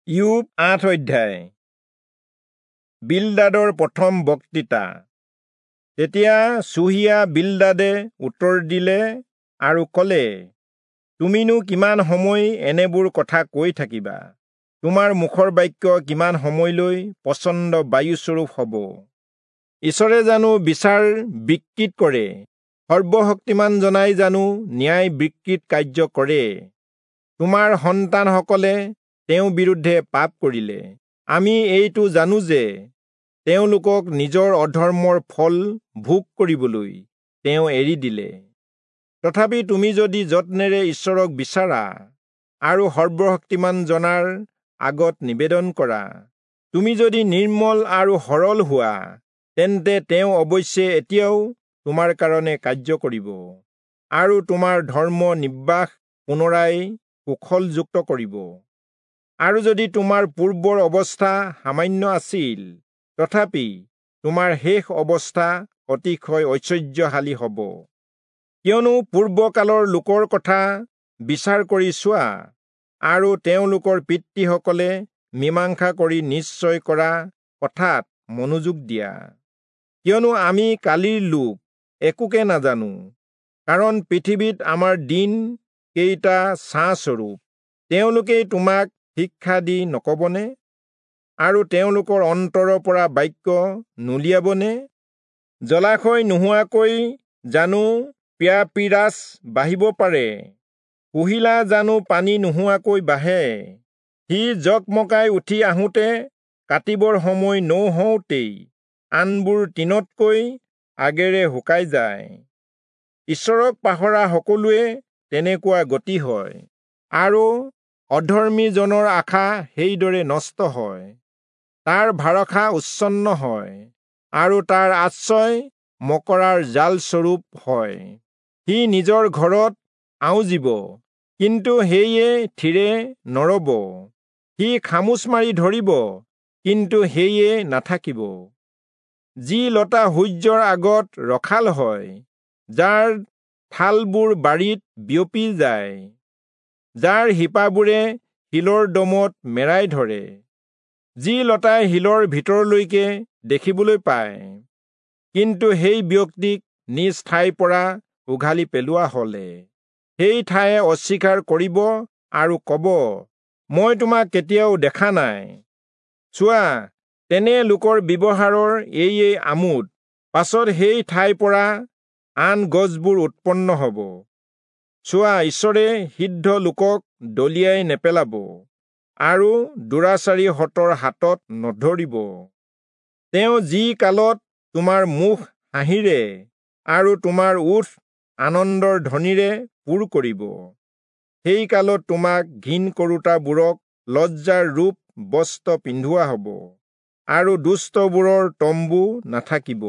ইয়োব ৮ অধ্যায়। বিলদাদৰ প্ৰথম বক্তৃতা। তেতিয়া চুহীয়া বিলদাদে উত্তৰ দিলে আৰু কলে, তুমিনো কিমান সময় এনেবোৰ কথা কৈ থাকিবা? তোমাৰ মুখৰ বাক্য কিমান সময়লৈ প্ৰচণ্ড বায়ুস্বৰূপ হ'ব? ঈশ্বৰে জানো বিচাৰ বিকৃত কৰে? সৰ্বশক্তিমান জনাই জানো ন্যায় বিকৃত কাৰ্য কৰে? তোমাৰ সন্তানসকলে তেওঁৰ বিৰুদ্ধে পাপ কৰিলে। আমি এইটো জানো যে তেওঁলোকক নিজৰ অধৰ্মৰ ফল ভোগ কৰিবলৈ তেওঁ এৰি দিলে। তথাপি তুমি যদি যত্নেৰে ঈশ্বৰক বিচাৰা আৰু সৰ্বশক্তিমান জনাৰ আগত নিবেদন কৰা, তুমি যদি নিৰ্মল আৰু সৰল হোৱা, তেন্তে তেওঁ অৱশ্যে এতিয়াও তোমাৰ কাৰণে কাৰ্য কৰিব আৰু তোমাৰ ধৰ্ম নিৰ্বাস পুনৰাই কুশলযুক্ত কৰিব। আৰু যদি তোমাৰ পূৰ্বৰ অৱস্থা সামান্য আছিল, তথাপি তোমাৰ শেষ অৱস্থা অতিশয় ঐশ্বৰ্যশালী হ'ব। কিয়নো পূৰ্বকালৰ লোকৰ কথা বিচাৰ কৰি চোৱা, আৰু তেওঁলোকৰ পিতৃসকলে মীমাংসা কৰি নিশ্চয় কৰা কথাত মনোযোগ দিয়া। কিয়নো আমি কালিৰ লোক, একোকে নাজানো, কাৰণ পৃথিৱীত আমাৰ দিন কেইটা ছাঁস্বৰূপ। তেওঁলোকেই তোমাক শিক্ষা দি নকবনে? আৰু তেওঁলোকৰ অন্তৰৰ পৰা বাক্য নুলিয়াবনে? জলাশয় নোহোৱাকৈ জানো প্যাপিৰাছ বাঢ়িব পাৰে? কুহিলা জানো পানী নোহোৱাকৈ বাঢ়ে? সি জকমকাই উঠি আহোঁতে কাটিবৰ সময় নৌহওঁতেই আনবোৰ তৃণতকৈ আগেৰে শুকাই যায়। ঈশ্বৰক পাহৰা সকলোৱে তেনেকুৱা গতি হয়, আৰু অধৰ্মীজনৰ আশা সেইদৰে নষ্ট হয়। তাৰ ভাৰসা উচ্ছন্ন হয়, আৰু তাৰ আশ্ৰয় মকৰাৰ জালস্বৰূপ হয়। সি নিজৰ ঘৰত আউজিব, কিন্তু সেয়ে থিৰে নৰব। সি খামোচ মাৰি ধৰিব, কিন্তু সেয়ে নাথাকিব। যি লতা সূৰ্যৰ আগত ৰখাল হয়, যাৰ ঠালবোৰ বাৰীত বিয়পি যায়, যাৰ শিপাবোৰে শিলৰ দমত মেৰাই ধৰে, যি লতাই শিলৰ ভিতৰলৈকে দেখিবলৈ পায়, কিন্তু সেই ব্যক্তিক নিজ ঠাইৰ পৰা উঘালি পেলোৱা হলে সেই ঠায়ে অস্বীকাৰ কৰিব আৰু কব, মই তোমাক কেতিয়াও দেখা নাই। চোৱা, তেনে লোকৰ ব্যৱহাৰৰ এয়ে আমোদ। পাছত সেই ঠাইৰ পৰা আন গছবোৰ উৎপন্ন হ'ব। চোৱা, ঈশ্বৰে সিদ্ধ লোকক দলিয়াই নেপেলাব আৰু দুৰাচাৰীহঁতৰ হাতত নধৰিব। তেওঁ যি কালত তোমাৰ মুখ হাঁহিৰে আৰু তোমাৰ ওঁঠ আনন্দৰ ধ্বনিৰে পূৰ কৰিব, সেই কালত তোমাক ঘিণ কৰোতাবোৰক লজ্জাৰ ৰূপ বস্ত্ৰ পিন্ধোৱা হ'ব, আৰু দুষ্টবোৰৰ তম্বু নাথাকিব।